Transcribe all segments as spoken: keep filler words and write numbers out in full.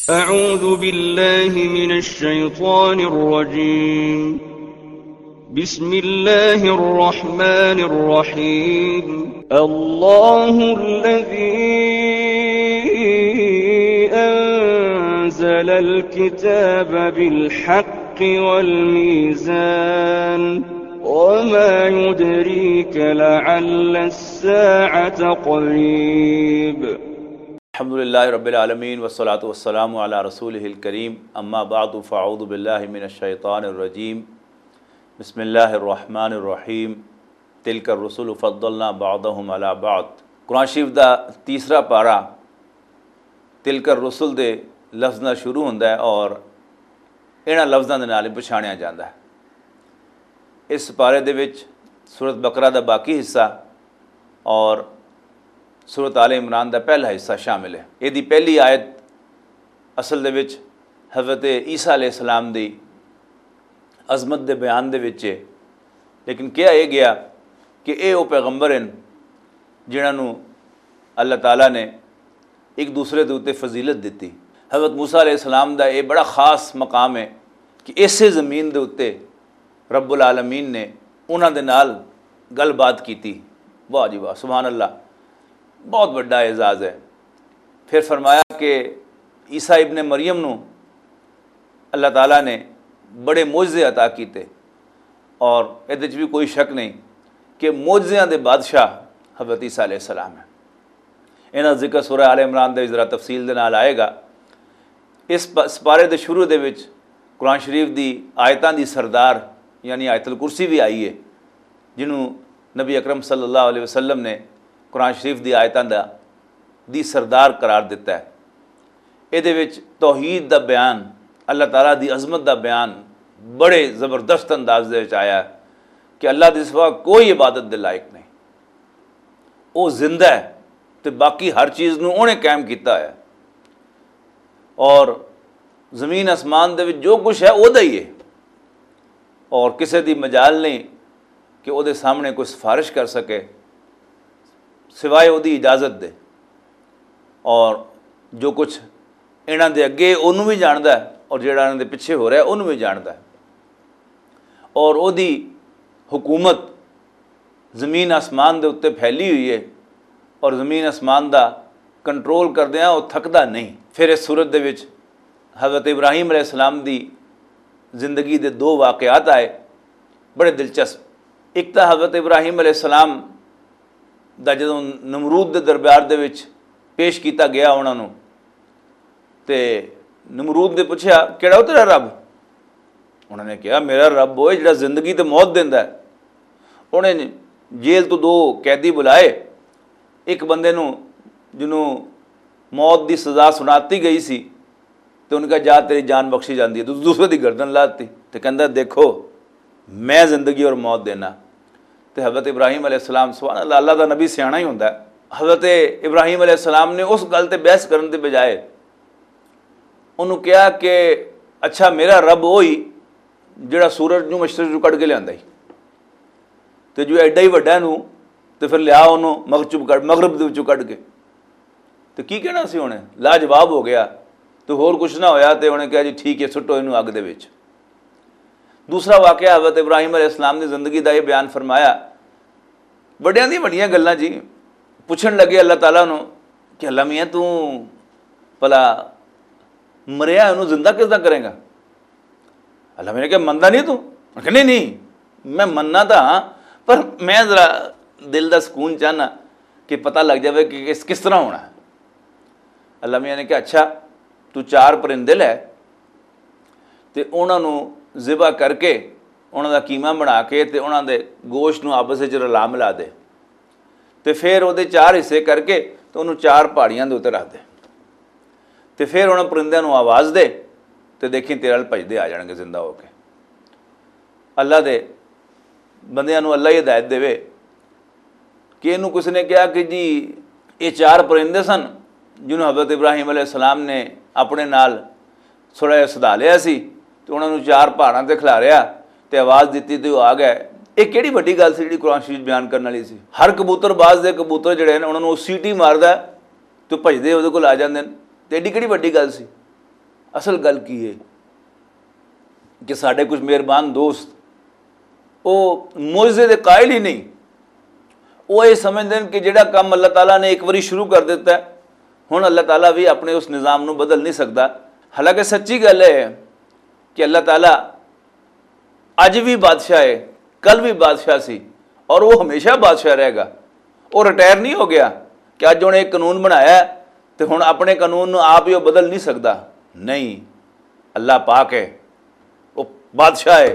أعوذ بالله من الشيطان الرجيم. بسم الله الرحمن الرحيم. الله الذي أنزل الكتاب بالحق والميزان. وما يدريك لعل الساعة قريب. الحمد لله رب العالمين، والصلاة والسلام على رسوله الكريم، أما بعد، فأعوذ بالله من الشيطان الرجيم. بسم الله الرحمن الرحيم. تلك الرسل فضلنا بعضهم على بعض۔ قرآن شریف دا تیسرا پارا تلک الرسل دے لفظ نال شروع ہوندا ہے اور انہاں لفظاں دے نال ہی پچھاڑیا جاندا ہے۔ اس پارے دے وچ سورت بقرہ دا باقی حصہ اور سورت آل عمران دا پہلا حصہ شامل ہے۔ یہ دی پہلی آیت اصل دے وچ حضرت عیسیٰ علیہ السلام دی عظمت دے بیان دے وچ ہے، لیکن کہا یہ گیا کہ اے او پیغمبر ہیں جنہاں نوں اللہ تعالیٰ نے ایک دوسرے دے اُتے فضیلت دتی۔ حضرت موسیٰ علیہ السلام دا اے بڑا خاص مقام ہے کہ اسے زمین دے اُتے رب العالمین نے انہاں دے نال گل بات کیتی۔ واہ جی واہ، سبحان اللہ، بہت بڑا اعزاز ہے۔ پھر فرمایا کہ عیسیٰ ابن مریم نو اللہ تعالیٰ نے بڑے معجزے عطا کیتے، اور ادھر وچ بھی کوئی شک نہیں کہ معجزیاں دے بادشاہ حضرت عیسیٰ علیہ السلام ہیں۔ انہاں ذکر سورہ آل عمران دے ذرا تفصیل دے نال آئے گا۔ اس پ-، سپارے دے شروع دے وچ قرآن شریف دی آیتاں دی سردار، یعنی آیت الکرسی بھی آئی ہے، جنہوں نبی اکرم صلی اللہ علیہ وسلم نے قرآن شریف دی آیتاں دا، دی سردار قرار دتا ہے۔ ادھے وچ توحید دا بیان، اللہ تعالیٰ دی عظمت دا بیان بڑے زبردست انداز دے وچ آیا ہے کہ اللہ دے سوا کوئی عبادت دے لائق نہیں۔ وہ زندہ ہے تے باقی ہر چیز نوں اونے قائم کیتا ہے، اور زمین آسمان دے وچ جو کچھ ہے، وہ دا ہی ہے، اور کسے دی مجال نہیں کہ وہ دے سامنے کوئی سفارش کر سکے سوائے وہ دی اجازت دے۔ اور جو کچھ انہاں دے اگے، انہوں بھی جاندا ہے، اور جڑا انہاں دے پیچھے ہو رہا ہے، انہوں بھی جاندا ہے۔ اور وہ دی حکومت زمین آسمان دے اُتے پھیلی ہوئی ہے، اور زمین آسمان دا کنٹرول کردیاں وہ تھکدا نہیں۔ پھر اس صورت دے وچ حضرت ابراہیم علیہ السلام دی زندگی دے دو واقعات آئے، بڑے دلچسپ۔ ایک تاں حضرت ابراہیم علیہ السلام دا جدوں نمرود دے دربار دے وچ پیش کیتا گیا انہاں نوں، تے نمرود نے پوچھیا، "کیڑا ہو تیرا رب؟" انہاں نے کہا، "میرا رب وہ ہے جڑا زندگی تے موت دیندا ہے۔" انہیں جیل تو دو قیدی بلائے، ایک بندے نوں جنوں موت دی سزا سناتی گئی سی، تے انہاں کہا، "جا، تیری جان بخشی جاندی ہے۔" تو دوسرے دی گردن لاتی تے کہندا، "دیکھو، میں زندگی اور موت دینا۔" تے حضرت ابراہیم علیہ السلام، سبحان اللہ، اللہ دا نبی سیاݨا ہی ہوندا ہے۔ حضرت ابراہیم علیہ السلام نے اس گل تے بحث کرن دے بجائے انہوں کہا کہ، "اچھا، میرا رب وہی جڑا سورج نوں مشرق چوں کڈ کے لیاندا ہی، تے جو ایڈا ہی وڈا نوں، تے پھر لیا انہوں مغرب چوں کڈ، مغرب دے وچوں کڈ کے۔" تے کی کہنا سی انہیں؟ لاجواب ہو گیا۔ تے ہور کچھ نہ ہویا تے انہیں کہا، "جی ٹھیک ہے، سٹو انہوں اگ دے وچ۔" دوسرا واقعہ حضرت ابراہیم علیہ السلام دی زندگی دا یہ بیان فرمایا، وڈیاں دی وڈیاں گلاں جی۔ پوچھن لگے اللہ تعالیٰ نوں کہ اللہ میاں، توں بھلا مریا انہوں زندہ کس طرح کریں گا؟ اللہ میاں نے کہا، "مندا نہیں توں؟" انہوں نے کہا، "نہیں، نہیں، میں مننا تاں ہاں، پر میں ذرا دل دا سکون چاہنا کہ پتہ لگ جاوے کہ کس، کس طرح ہونا ہے۔" اللہ میاں نے کہا، "اچھا، تو چار پرندے لے تے انہاں نوں ذبح کر کے، انہاں دا قیمہ بنا کے تے انہاں دے گوشت نوں آپس وچ رلا ملا دے، تے پھر او دے چار حصے کر کے تے انہوں چار پہاڑیاں دے اُتے رکھ دے، تے پھر انہاں پرندیاں نوں آواز دے، تے دیکھیں تیرے ال بھجدے آ جانگے زندہ ہو کے۔" اللہ دے بندیاں نوں اللہ ہی ہدایت دے۔ کہ انہوں کس نے کہا کہ جی، یہ چار پرندے سن جنہوں حضرت ابراہیم علیہ السلام نے اپنے نال تھوڑا جہا سدھا لیا سی، تے انہاں نوں چار پہاڑاں تے کھلاریا، تے آواز دتی تے وہ آ گئے۔ یہ کیڑی وڈی گل سی جڑی قرآن شریف بیان کرن والی سی؟ ہر کبوتر باز دے کبوتر جڑے نے، انہاں نوں سیٹی ماردا ہے تے بھجدے اودے کول آ جاندے نے۔ تے ایڈی کیڑی وڈی گل سی؟ اصل گل کی ہے کہ ساڈے کچھ مہربان دوست، وہ معجزے دے قائل ہی نہیں۔ وہ یہ سمجھتے ہیں کہ جڑا کام اللہ تعالیٰ نے ایک واری شروع کر دیتا ہے، ہن اللہ تعالیٰ بھی اپنے اس نظام نو بدل نہیں سکتا۔ حالانکہ سچی گل ہے کہ اللہ تعالیٰ اج بھی بادشاہ ہے، کل بھی بادشاہ سی، اور وہ ہمیشہ بادشاہ رہے گا۔ وہ ریٹائر نہیں ہو گیا کہ اج انہیں ایک قانون بنایا ہے تے ہن اپنے قانون نو آپ ہی وہ بدل نہیں سکتا۔ نہیں، اللہ پاک ہے، وہ بادشاہ ہے،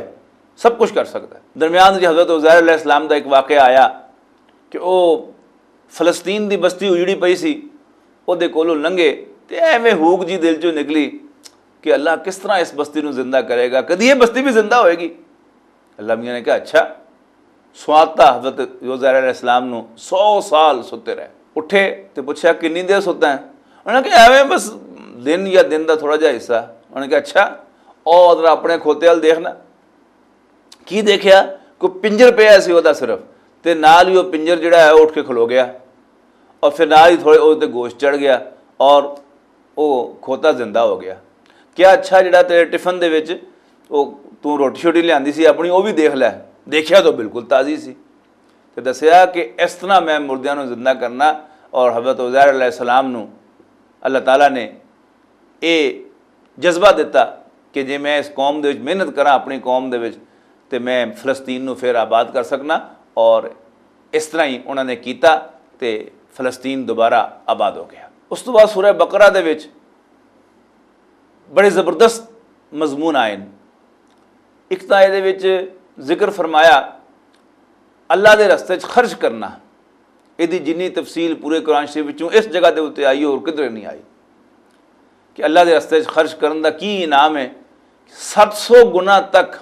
سب کچھ کر سکتا ہے۔ درمیان جی حضرت عزیر علیہ السلام دا ایک واقعہ آیا کہ وہ فلسطین دی بستی اجڑی پئی سی، وہ دے کولوں لنگھے تے ایویں ہوک جی دل چوں نکلی کہ اللہ کس طرح اس بستی نو زندہ کرے گا، کدی یہ بستی بھی زندہ ہوئے گی؟ اللہ میاں نے کہا، اچھا۔ سواتا حضرت یوزیر علیہ السلام نو سو سال ستے رہے۔ اٹھے تے پوچھا، کنی دیر ستا ہے؟ انہوں نے کہا، ایویں بس دن یا دن دا تھوڑا جہا حصہ۔ انہوں نے کہا، اچھا، او ذرا اپنے کھوتے وال دیکھنا۔ کی دیکھیا؟ کوئی پنجر پیا سی وہ صرف، تے نال ہی وہ پنجر جڑا ہے، وہ اٹھ کے کھلو گیا، اور پھر نال ہی تھوڑے وہ تے گوشت چڑھ گیا، اور وہ کھوتا زندہ ہو گیا۔ کیا اچھا، جڑا تیرے ٹفن دے وچ وہ توں روٹی شوٹی لیاندی سی اپنی، وہ بھی دیکھ لے۔ دیکھیا تو بالکل تازی سی۔ تے دسیا کہ اس طرح میں مردیاں نوں زندہ کرنا۔ اور حضرت عزیر علیہ السلام نوں اللہ تعالیٰ نے یہ جذبہ دتا کہ جے میں اس قوم دے وچ محنت کراں، اپنی قوم دے وچ، تے میں فلسطین نوں پھر آباد کر سکنا۔ اور اس طرح ہی انہاں نے کیتا تے فلسطین دوبارہ آباد ہو گیا۔ اس تو بعد سورہ بقرہ دے وچ بڑے زبردست مضمون آئے نے۔ ایک تاں اے دے وچ ذکر فرمایا اللہ دے رستے وچ خرچ کرنا۔ اے دی جنی تفصیل پورے قرآن شریف وچوں اس جگہ دے اُتے آئی، اور کدھر نہیں آئی، کہ اللہ دے رستے وچ خرچ کرن دا کی انعام ہے۔ ست سو گنا تک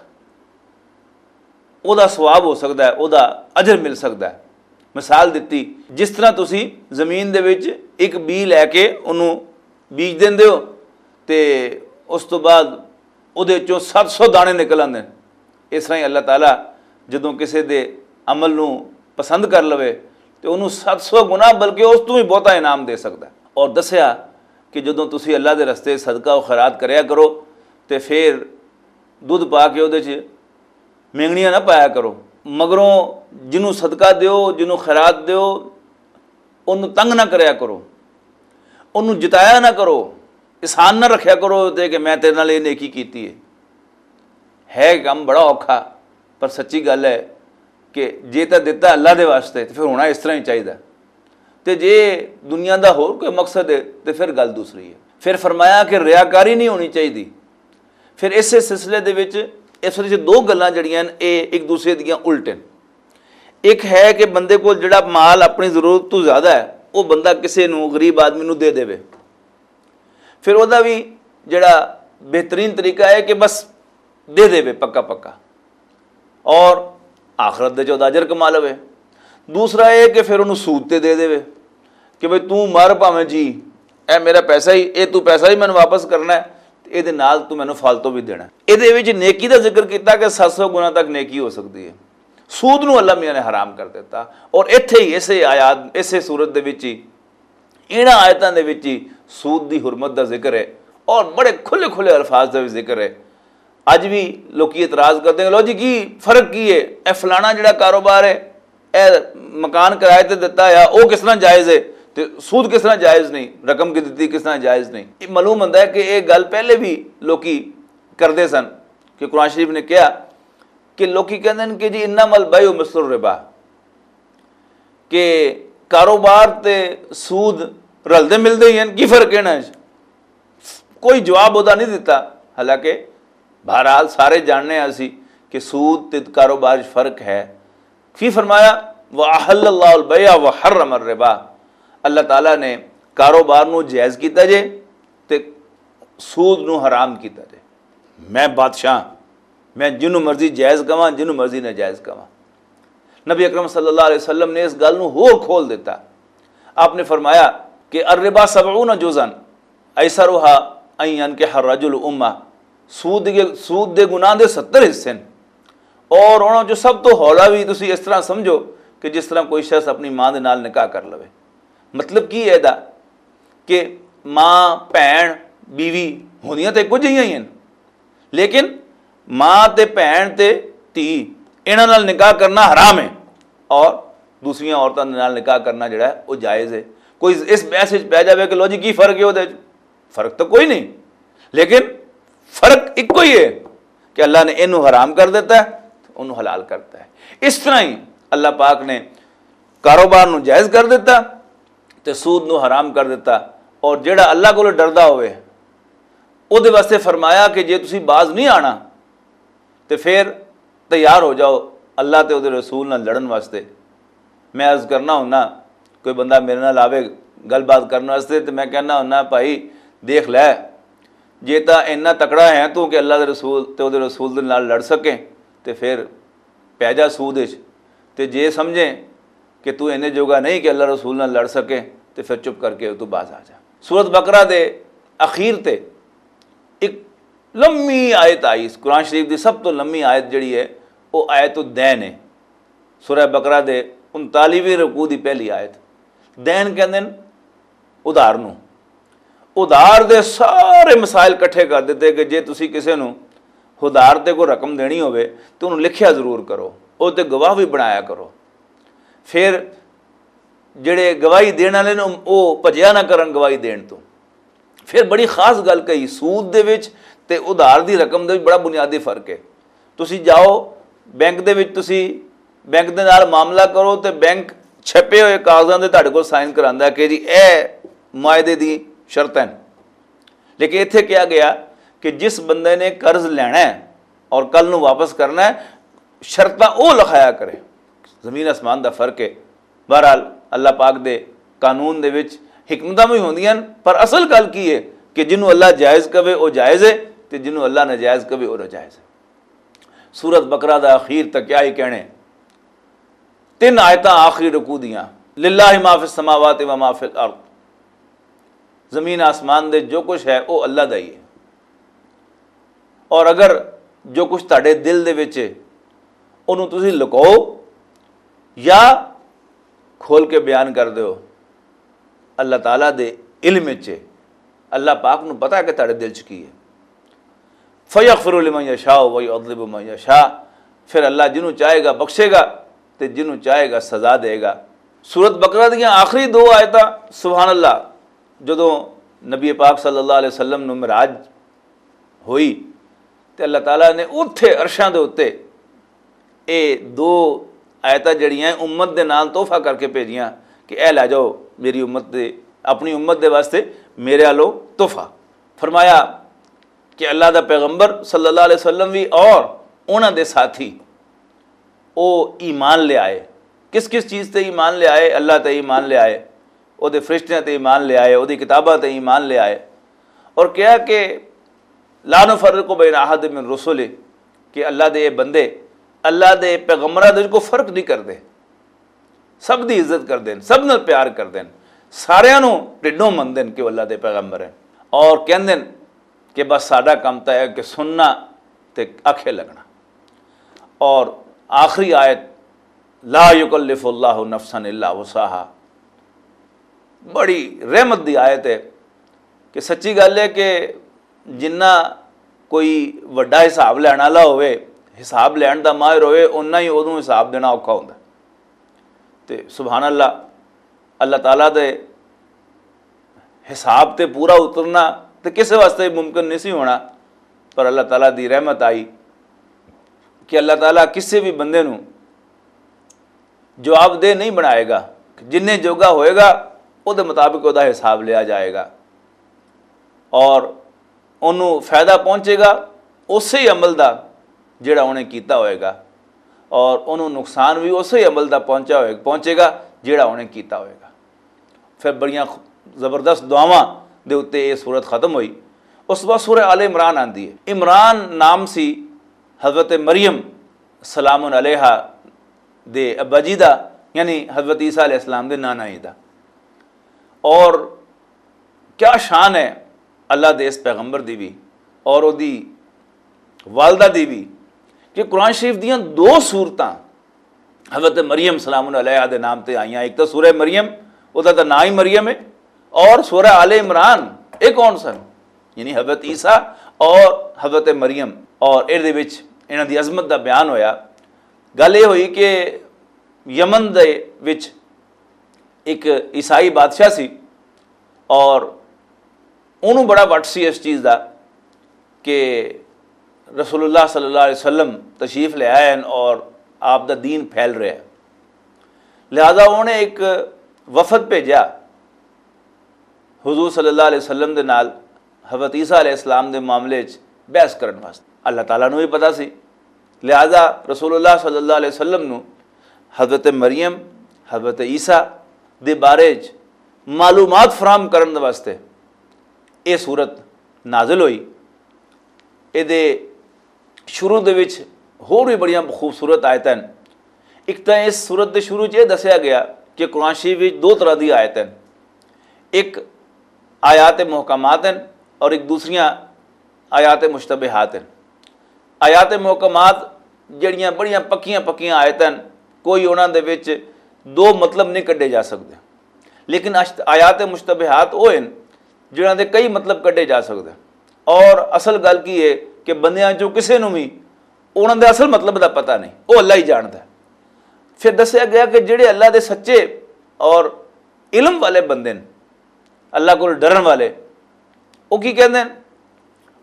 او دا ثواب ہو سکدا ہے، او دا اجر مل سکدا ہے۔ مثال دتی، جس طرح تسی زمین دے وچ ایک بی لے کے اونوں بیج دیندے ہو، تے اس تو بعد او دے وچوں ست سو دانے نکل آندے نے۔ اس طرح ہی اللہ تعالیٰ جدوں کسے دے عمل نوں پسند کر لوے، تے اونوں ست سو گنا بلکہ اس تو بھی بہتا انعام دے سکدا ہے۔ اور دسیا کہ جدوں تسی اللہ دے رستے صدقہ و خیرات کریا کرو، تے پھر دودھ پا کے اودے چ مینگنیاں نہ پایا کرو، مگروں جنوں صدقہ دیو، جنوں خیرات دیو، اونوں تنگ نہ کریا کرو، اونوں جتایا نہ کرو، احسان نہ رکھیا کرو تے کہ میں تیرے نال یہ نیکی کیتی ہے۔ ہے کم بڑا اوکھا، پر سچی گل ہے کہ جے تاں دتا اللہ دے واسطے تے پھر ہونا اس طرح ہی چاہیدا۔ تے جے دنیا دا ہور کوئی مقصد ہے تے پھر گل دوسری ہے۔ پھر فرمایا کہ ریاکاری نہیں ہونی چاہیدی۔ پھر اسے سلسلے دے وچ اس وچ دو گلاں جڑیاں نے، اے ایک دوسرے دیاں الٹ ہیں۔ ایک ہے کہ بندے کول جڑا مال اپنی ضرورت تو زیادہ ہے، وہ بندہ کسے نو غریب آدمی نو دے دے۔ پھر وہ بھی جڑا بہترین طریقہ ہے کہ بس دے دے پکا پکا، اور آخرت دے چودہ اجر کما لوے۔ دوسرا یہ کہ پھر انہوں سود تے دے دے کہ بھئی توں مر پاویں جی، اے میرا پیسہ ہی، اے تو پیسہ ہی مینوں واپس کرنا ہے، تے اے دے نال تو مینوں فالتو بھی دینا ہے۔ اے دے وچ نیکی دا ذکر کیتا کہ ست سو گنا تک نیکی ہو سکتی ہے۔ سود نو اللہ میاں نے حرام کر دیتا۔ اور ایتھے ہی اسے آیات، اسے سورت دے وچ ہی، انہاں آیتاں دے وچ ہی سود دی حرمت دا ذکر ہے، اور بڑے کھلے کھلے الفاظ دا بھی ذکر ہے۔ اج بھی لوکی اعتراض کردے ہیں، لو جی کی فرق کی ہے؟ اے فلانا جڑا کاروبار ہے، اے مکان کرائے تے دتا ہے، او کس طرح جائز ہے؟ تے سود کس طرح جائز نہیں؟ رقم کی دتی کس طرح جائز نہیں؟ یہ معلوم ہوندا ہے کہ یہ گل پہلے بھی لوکی کردے سن، کہ قرآن شریف نے کہا کہ لوکی کہندے نے کہ جی انما البیع مثل الربا، کہ کاروبار تے سود رلدے ملدے ہی ہیں، کی فرق ہے نا؟ کوئی جواب ادا نہیں دیتا۔ حالانکہ بہرحال سارے جاننے ہاں اسی کہ سود تے کاروبار وچ فرق ہے۔ کی فرمایا؟ وَأَحَلَّ اللَّهُ الْبَيْعَ وَحَرَّمَ الرِّبَا۔ اللہ تعالیٰ نے کاروبار نو جائز کیتا جے تے سود نو حرام کیتا جے۔ میں بادشاہ، میں جنوں مرضی جائز کواں، جنوں مرضی ناجائز کواں۔ نبی اکرم صلی اللہ علیہ وسلم نے اس گل نو ہور کھول دیتا۔ آپ نے فرمایا کہ الربا سبعون جزءا، ایسرها ان ينكح الرجل امه۔ سود دے، سود دے گناہ دے ستر حصے ہیں، اور انہاں چوں سب تو ہولا بھی تسی اس طرح سمجھو کہ جس طرح کوئی شخص اپنی ماں دے نال نکاح کر لوے۔ مطلب کی ہے دا؟ کہ ماں، بھین، بیوی، ہوندیاں تے کچھ ہی ہیں، لیکن ماں تے بھین تے دھی، انہاں نال نکاح کرنا حرام ہے، اور دوسریاں عورتاں دے نال نکاح کرنا جڑا ہے، وہ جائز ہے۔ کوئی اس بحث وچ پہ جاوے کہ لو جی، کی فرق ہے؟ فرق تو کوئی نہیں، لیکن فرق ایک ہی ہے کہ اللہ نے انہوں حرام کر دیتا ہے، انہوں حلال کرتا ہے۔ اس طرح ہی اللہ پاک نے کاروبار نو جائز کر دیتا تے سود نو حرام کر دیتا، اور جڑا اللہ کو ڈردا ہوئے، او دے واسطے فرمایا کہ جے تسی باز نہیں آنا، تے پھر تیار ہو جاؤ اللہ تے او دے رسول نال لڑن واسطے۔ میں عرض کرنا ہوننا، کوئی بندہ میرے نال آوے گل بات کرن واسطے، تے میں کہنا ہوننا، بھائی، دیکھ لے، جے تاں اینا تکڑا ہے تو کہ اللہ دے رسول تے او دے رسول دے نال لڑ سکے، تے پھر پی جا سود وچ۔ تے جے سمجھیں کہ تو اینے جوگا نہیں کہ اللہ رسول نال لڑ سکے، تے پھر چپ کر کے تو باز آ جا۔ سورت بقرہ دے اخیر تے ایک لمبی آیت آئی، قرآن شریف دی سب تو لمبی آیت جڑی ہے، وہ آیت الدین ہے۔ سورہ بقرہ دے انتالیہویں رکوع دی پہلی آیت۔ دین کہندے نے ادھار نو۔ ادھار دے سارے مسائل کٹھے کر دتے کہ جے تسی کسے نو ادھار تے کوئی رقم دینی ہوے، تے انہوں لکھیا ضرور کرو، او تے گواہ بھی بنایا کرو۔ پھر جڑے گواہی دین والے نے، او بھجیا نہ کرن گواہی دین تو۔ پھر بڑی خاص گل کہی، سود دے وچ تے ادھار دی رقم دے وچ بڑا بنیادی فرق ہے۔ تسی جاؤ بینک دے وچ، تسی بینک دے نال معاملہ کرو تے بینک چھپے ہوئے کاغذاں دے تہاڈے کول سائن کراندا ہے کہ جی، اے معاہدے دی شرط ہیں۔ لیکن اتھے کیا گیا کہ جس بندے نے قرض لینا ہے اور کل نوں واپس کرنا ہے، شرطاں او لکھایا کرے۔ زمین آسمان دا فرق ہے۔ بہرحال، اللہ پاک دے قانون دے وچ حکمتاں بھی ہوندیاں ہن، پر اصل گل کی ہے کہ جنوں اللہ جائز کہے، او جائز ہے، تے جنوں اللہ ناجائز کہے، او ناجائز ہے۔ سورت بقرہ دا اخیر تک کیا ہی کہنے، تین آیتاں آخری رکوع دیاں، للہ ما فی السماوات و ما فی الارض، زمین آسمان دے جو کچھ ہے، او اللہ دا ہی ہے۔ اور اگر جو کچھ تہاڈے دل دے وچ ہے، انہوں تسی لکاؤ یا کھول کے بیان کر دیو، اللہ تعالیٰ دے علم وچ ہے۔ اللہ پاک نوں پتہ ہے کہ تہاڈے دل چ کی ہے۔ فَيَغْفِرُ لِمَنْ يَشَاءُ وَيُعَذِّبُ مَنْ يَشَاءُ۔ پھر اللہ جنوں چاہے گا بخشے گا تے جنوں چاہے گا سزا دے گا۔ سورت بقرہ دیاں آخری دو آیتاں، سبحان اللہ، جدوں نبی پاک صلی اللہ علیہ وسلم نوں معراج ہوئی تے اللہ تعالیٰ نے اتھے عرشاں دے اُتے اے دو آیتاں جڑیاں امت دے نال تحفہ کر کے بھیجیاں کہ اے لے جاؤ میری امت دے، اپنی امت دے واسطے میرے والوں تحفہ۔ فرمایا کہ اللہ دا پیغمبر صلی اللہ علیہ وسلم بھی اور انہاں دے ساتھی او ایمان لے آئے۔ کس کس چیز تے ایمان لے آئے؟ اللہ تے ایمان لے آئے، او دے فرشتیاں تے ایمان لے آئے، او دی کتاباں تے ایمان لے آئے۔ اور کہا کہ لا نفرق بین احد من رسلہ، کہ اللہ دے اے بندے اللہ دے پیغمبراں دے وچ کوئی فرق نہیں کردے، سب دی عزت کردے نے، سب نال پیار کردے نے، ساریاں نوں ڈڈوں مندے نے کہ وہ اللہ دے پیغمبر ہیں۔ اور کہندے نے کہ بس ساڈا کم تاں ہے کہ سننا تے آکھے لگنا۔ اور آخری آیت، لا یکلف اللہ نفسا الا وسعہا، بڑی رحمت دی آیت ہے کہ سچی گل ہے کہ جنہ کوئی وڈا حساب لین والا ہوئے، حساب لین دا ماہر ہوئے، اُنہ ہی اودوں حساب دینا اوکھا ہوندا ہے۔ تے سبحان اللہ، اللہ تعالیٰ دے حساب تے پورا اترنا تے کسے واسطے ممکن نہیں سی ہونا، پر اللہ تعالیٰ دی رحمت آئی کہ اللہ تعالیٰ کسے بھی بندے نوں جواب دہ نہیں بنائے گا۔ جنہیں جوگا ہوئے گا، او دے مطابق او دا حساب لیا جائے گا اور انہوں فائدہ پہنچے گا اسی عمل دا جڑا انہیں کیتا ہوئے گا، اور انہوں نقصان بھی اسی عمل دا پہنچا ہوئے پہنچے گا جڑا انہیں کیتا ہوئے گا۔ پھر بڑیاں خ- زبردست دعاواں دے اُتے یہ سورت ختم ہوئی۔ اس وقت سورہ آل عمران آندی ہے۔ عمران نام سی حضرت مریم سلام علیہا دے ابا جی دا، یعنی حضرت عیسیٰ علیہ السلام دے نانا جی دا۔ اور کیا شان ہے اللہ دے اس پیغمبر دی بھی اور او دی والدہ دی بھی، کہ قرآن شریف دیاں دو سورتاں حضرت مریم سلام علیہا دے نام تے آئیاں۔ ایک تو سورہ مریم، او دا نام ہی مریم ہے، اور سورہ آل عمران، یہ کون سن؟ یعنی حضرت عیسیٰ اور حضرت مریم، اور ایہدے وچ انہاں دی عظمت دا بیان ہویا۔ گل ایہہ ہوئی کہ یمن دے وچ اک عیسائی بادشاہ سی، اور انہوں بڑا وٹ سی اس چیز دا کہ رسول اللہ صلی اللہ علیہ وسلم تشریف لے آئے ہیں اور آپ دا دین پھیل رہا ہے۔ لہذا انہوں نے ایک وفد بھیجا حضور صلی اللہ علیہ وسلم دے نال حضرت عیسیٰ علیہ السلام دے معاملے وچ بحث کرن واسطے۔ اللہ تعالیٰ نوں بھی پتہ سی، لہذا رسول اللہ صلی اللہ علیہ وسلم نوں حضرت مریم، حضرت عیسیٰ دے بارے وچ معلومات فراہم کرن دے واسطے یہ صورت نازل ہوئی۔ اے دے شروع دے وچ ہور بھی بڑیاں خوبصورت آیتاں ہیں۔ ایک تاں اس صورت دے شروع چ یہ دسیا گیا کہ قرآن شریف وچ دو طرح دی آیت ہیں، ایک آیات محکمات ہیں اور ایک دوسریاں آیات مشتبہات ہیں۔ آیات محکمات جڑیاں بڑیاں پکیاں پکیاں آیتاں ہیں، کوئی انہاں دے وچ دو مطلب نہیں کڈے جا سکدے، لیکن اشت- آیات مشتبہات وہ ہیں جنہاں دے کئی مطلب کڈے جا سکدے ہیں۔ اور اصل گل کی ہے کہ بندیاں چوں کسے نوں بھی انہاں دے اصل مطلب دا پتہ نہیں، وہ اللہ ہی جاندا ہے۔ پھر دسیا گیا کہ جڑے اللہ دے سچے اور علم والے بندے نے، اللہ کو ڈرن والے، وہ کی کہندے نے؟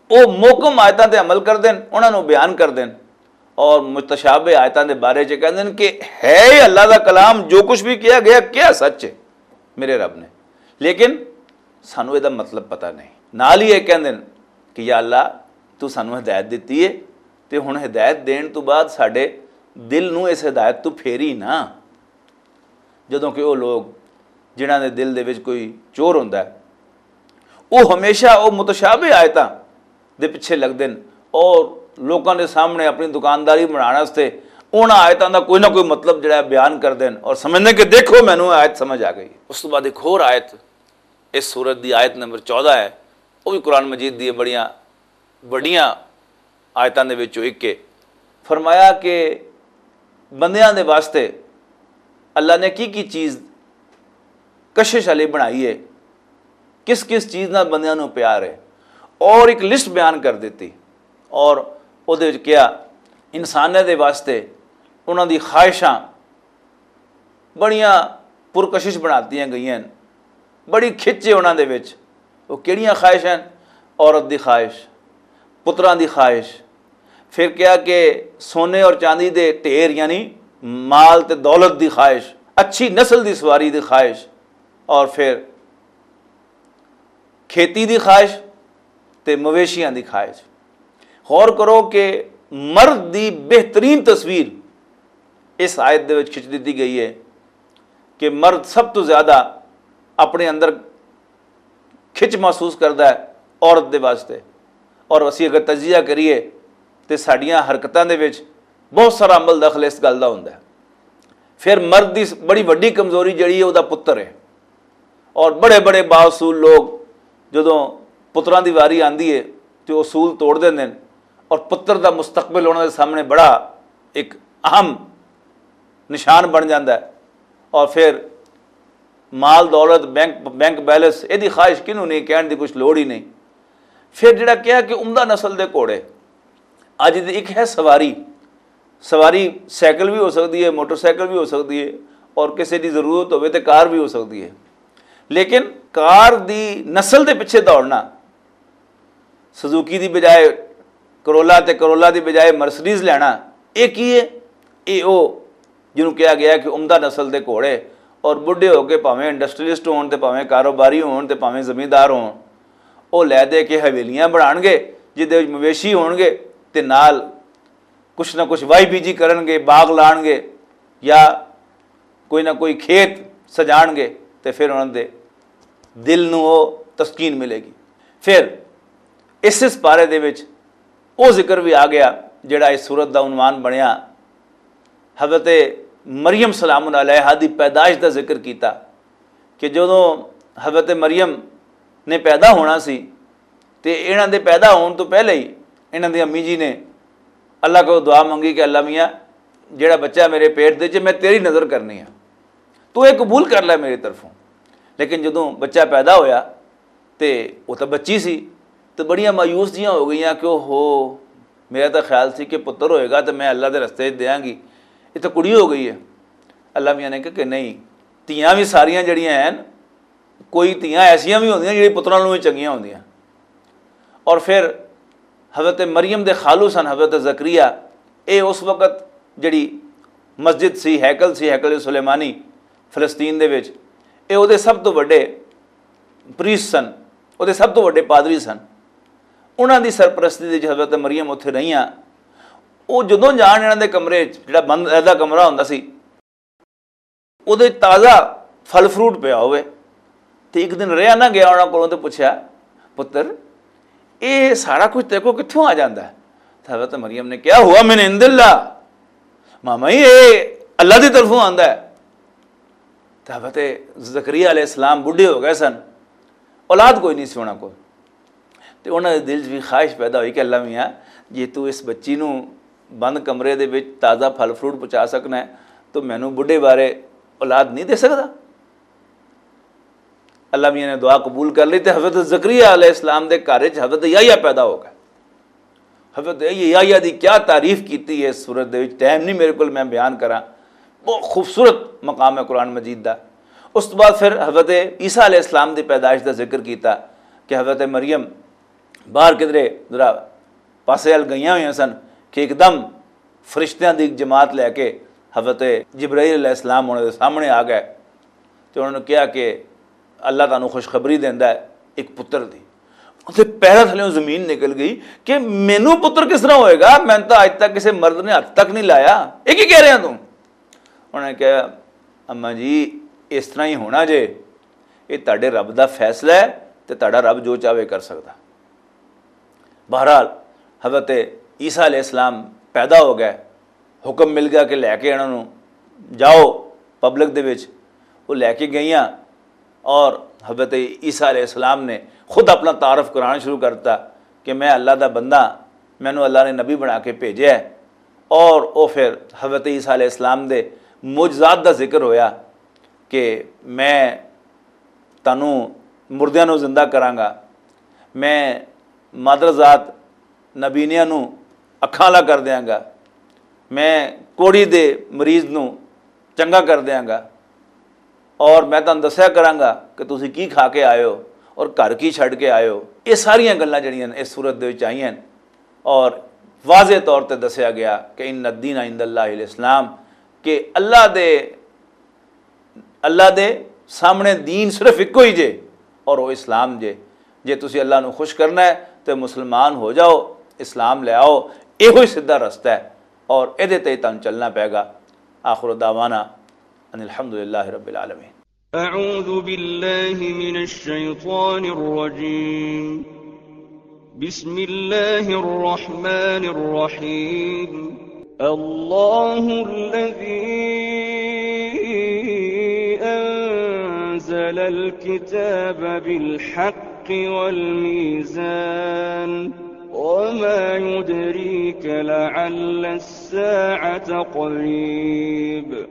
وہ محکم آیتاں تے عمل کردے نے، انہاں نوں بیان کردے نے، اور متشابہ آیتاں دے بارے چ کہندے نے کہ ہے یہ اللہ دا کلام، جو کچھ بھی کیا گیا، کیا سچ ہے میرے رب نے، لیکن سانوں یہ مطلب پتہ نہیں۔ نال ہی یہ کہندے نے کہ یا اللہ، تو سانوں ہدایت دتی ہے، تے ہن ہدایت دین تو بعد ساڈے دل نوں اس ہدایت تو پھیری نہ۔ جدوں کہ وہ لوگ جنہاں دے دل دے وچ کوئی چور ہوندا ہے، وہ ہمیشہ وہ متشابہ آیتاں دے پیچھے لگدے نے اور لوکاں دے سامنے اپنی دکانداری بنانے واسطے انہاں آیتاں دا کوئی نہ کوئی مطلب جڑا ہے بیان کردے نے اور سمجھدے کہ دیکھو مینوں آیت سمجھ آ گئی۔ اس تو بعد ایک ہور آیت، اس سورت دی آیت نمبر چودہ ہے، وہ بھی قرآن مجید دی بڑیاں وڈیاں آیتاں دے وچوں ایک ہے۔ فرمایا کہ بندیاں دے واسطے اللہ نے کی کی چیز کشش والی بنائی ہے، کس کس چیز نال بندیاں نوں پیار ہے، اور ایک لسٹ بیان کر دتی۔ اور اودے وچ کیا انسانیت دے واسطے انہاں دی خواہشاں بڑیاں پرکشش بناتیاں گئیاں ہن، بڑی کھچ ہے انہاں دے وچ۔ وہ کیڑیاں خواہش ہن؟ عورت دی خواہش، پتراں دی خواہش، پھر کیا کہ سونے اور چاندی دے ڈھیر، یعنی مال تے دولت دی خواہش، اچھی نسل دی سواری دی خواہش، اور پھر کھیتی دی خواہش تے مویشیاں دی خواہش۔ غور کرو کہ مرد دی بہترین تصویر اس آیت دے وچ کھچ دتی گئی ہے کہ مرد سب تو زیادہ اپنے اندر کھچ محسوس کردا ہے عورت دے واسطے۔ اور اسی اگر تجزیہ کریے تے ساڈیاں حرکتاں دے وچ بہت سارا عمل دخل اس گل دا ہوندا ہے۔ پھر مرد دی بڑی وڈی کمزوری جڑی ہے، او دا پتر ہے۔ اور بڑے بڑے بااصول لوگ جدوں پتراں دی واری آندی ہے تے اصول توڑ دیندے نے، اور پتر دا مستقبل انہاں دے سامنے بڑا ایک اہم نشان بن جاندا ہے۔ اور پھر مال دولت، بینک بینک بیلنس، ایہدی خواہش کینوں نہیں، کہن دی کچھ لوڑ ہی نہیں۔ پھر جڑا کہیا کہ عمدہ نسل دے گھوڑے، اج دی ایک ہے سواری، سواری سائیکل بھی ہو سکدی ہے، موٹر سائیکل بھی ہو سکدی ہے، اور کسے دی ضرورت ہووے تے کار بھی ہو سکدی ہے۔ لیکن کار دی نسل دے پچھے دوڑنا، سزوکی دی بجائے کرولا تے کرولا دی بجائے مرسڈیز لینا، یہ کی ہے؟ یہ او جنہوں کہا گیا کہ عمدہ نسل دے گھوڑے، اور بڈھے ہو کے بھاویں انڈسٹریلسٹ ہون تے بھاویں کاروباری ہون تے بھاویں زمیندار ہون، او لے دے کے حویلیاں بنان گے، جدے وچ مویشی ہون گے تے نال کچھ نہ کچھ وائی بیجی کرن گے، باغ لان گے، یا کوئی نہ کوئی کھیت سجان گے، تے پھر انہاں دے دل نوں او تسکین ملے گی۔ پھر اس اس پارے دے وچ او ذکر بھی آ گیا جڑا اس سورت دا عنوان بنیا۔ حضرت مریم سلام علیہا دی پیدائش دا ذکر کیتا کہ جدوں حضرت مریم نے پیدا ہونا سی، تے انہاں دے پیدا ہون تو پہلے ہی انہاں دی امی جی نے اللہ کو دعا منگی کہ اللہ میاں، جڑا بچہ میرے پیٹ دے چ، میں تیری نظر کرنی ہے، تو یہ قبول کر لے میری طرفوں۔ لیکن جدوں بچہ پیدا ہویا تے وہ تو بچی سی، تے بڑیاں مایوس جیاں ہو گئیاں کہ او ہو، میرا تاں خیال سی کہ پتر ہوئے گا تے میں اللہ دے رستے وچ دیاں گی، اے تاں کڑی ہو گئی ہے۔ اللہ میاں نے کہا کہ نہیں، دھیاں وی ساریاں جڑیاں ہیں، کوئی دھیاں ایسیاں وی ہوندیاں جڑی پتراں نوں وی چنگیاں ہوندیاں۔ اور پھر حضرت مریم دے خالو سن حضرت زکریا، اے اس وقت جڑی مسجد سی، ہیکل سی، ہیکل سلیمانی فلسطین دے وچ، اے او دے سب تو وڈے پریس سن، او دے سب تو وڈے پادری سن۔ انہاں دی سرپرستی دے وچ حضرت مریم اتھے رہیاں۔ او جدوں جان انہاں دے کمرے وچ، جڑا بند علیحدہ کمرہ ہوندا سی، او دے تازہ پھل فروٹ پیا ہوئے۔ تے ایک دن رہیا نہ گیا، انہاں کولوں تے پوچھیا، "پتر، اے سارا کچھ تیرے کول کتھوں آ جاندا ہے؟" تے حضرت مریم نے کہا، "ہوا من عند اللہ، ماما جی، اے اللہ دی طرفوں آندا ہے۔" تے حضرت زکریا علیہ السلام بڈھے ہو گئے سن، اولاد کوئی نہیں سی انہاں کول۔ تے انہاں دے دل 'چ وی خواہش پیدا ہوئی کہ اللہ میاں، جے تو اس بچی نوں بند کمرے دے وچ تازہ پھل فروٹ پہنچا سکنا ہے، تو مینوں بڈھے بارے اولاد نہیں دے سکدا؟ اللہ میاں نے دعا قبول کر لی تے حضرت زکریا علیہ السلام دے گھر وچ حضرت یحییٰ پیدا ہو گئے۔ حضرت یحییٰ دی کیا تعریف کیتی ہے اس صورت دے وچ، ٹائم نہیں میرے کول میں بیان کراں۔ بہت خوبصورت مقام ہے قرآن مجید دا۔ اس تو بعد پھر حضرت عیسیٰ علیہ السلام دی پیدائش دا ذکر کیتا کہ حضرت مریم باہر کدرے ذرا پاسے ال گئیاں ہوئیاں سن کہ اک دم فرشتیاں دی اک جماعت لے کے حضرت جبرائیل علیہ السلام انہاں دے سامنے آ گئے۔ تے انہاں نے کہا کہ اللہ تانوں خوشخبری دیندا ہے اک پتر دی۔ تے پیراں تھلوں زمین نکل گئی کہ مینوں پتر کس طرح ہوئے گا؟ میں تو اج تک کسے مرد نے ہاتھ تک نہیں لایا، یہ کی کہہ رہے ہیں تم؟ انہاں نے کہا، "اما جی، اس طرح ہی ہونا جے، یہ تہاڈے رب دا فیصلہ ہے، تے تہاڈا رب جو چاہے کر سکدا۔" بہرحال، حضرت عیسیٰ علیہ السلام پیدا ہو گئے، حکم مل گیا کہ لے کے انہاں نوں جاؤ پبلک دے وچ۔ وہ لے کے گئیاں اور حضرت عیسیٰ علیہ السلام نے خود اپنا تعارف کرانا شروع کر دتا کہ میں اللہ دا بندہ، مینوں اللہ نے نبی بنا کے بھیجیا ہے۔ اور وہ پھر حضرت عیسیٰ علیہ السلام دے معجزات دا ذکر ہویا کہ میں تانوں مردیاں نوں زندہ کراں گا، میں مادرزاد نبینیاں نوں اکھاں والا کر دیاں گا، میں کوڑی دے مریض نوں چنگا کر دیاں گا، اور میں تانوں دسیا کراں گا کہ تسی کی کھا کے آئے ہو اور گھر کی چھڈ کے آئے ہو۔ یہ ساریاں گلاں جڑیاں نے اس صورت دے وچ آئیاں نے اور واضح طور تے دسیا گیا کہ ان الدین عند اللہ الاسلام، کہ اللہ دے اللہ دے سامنے دین صرف اکو ہی جے، اور وہ اسلام جے۔ جے تسی اللہ نو خوش کرنا ہے تے مسلمان ہو جاؤ، اسلام لے آؤ، ایہو ہی سیدھا رستہ ہے، اور ایہدے تے ہی تانوں چلنا پے گا۔ آخر دعوانا ان الحمدللہ رب العالمین۔ اعوذ باللہ من الشیطان الرجیم۔ بسم الله الرحمن الرحيم۔ الله الذي أنزل الكتاب بالحق والميزان، وما يدريك لعل الساعة قريب۔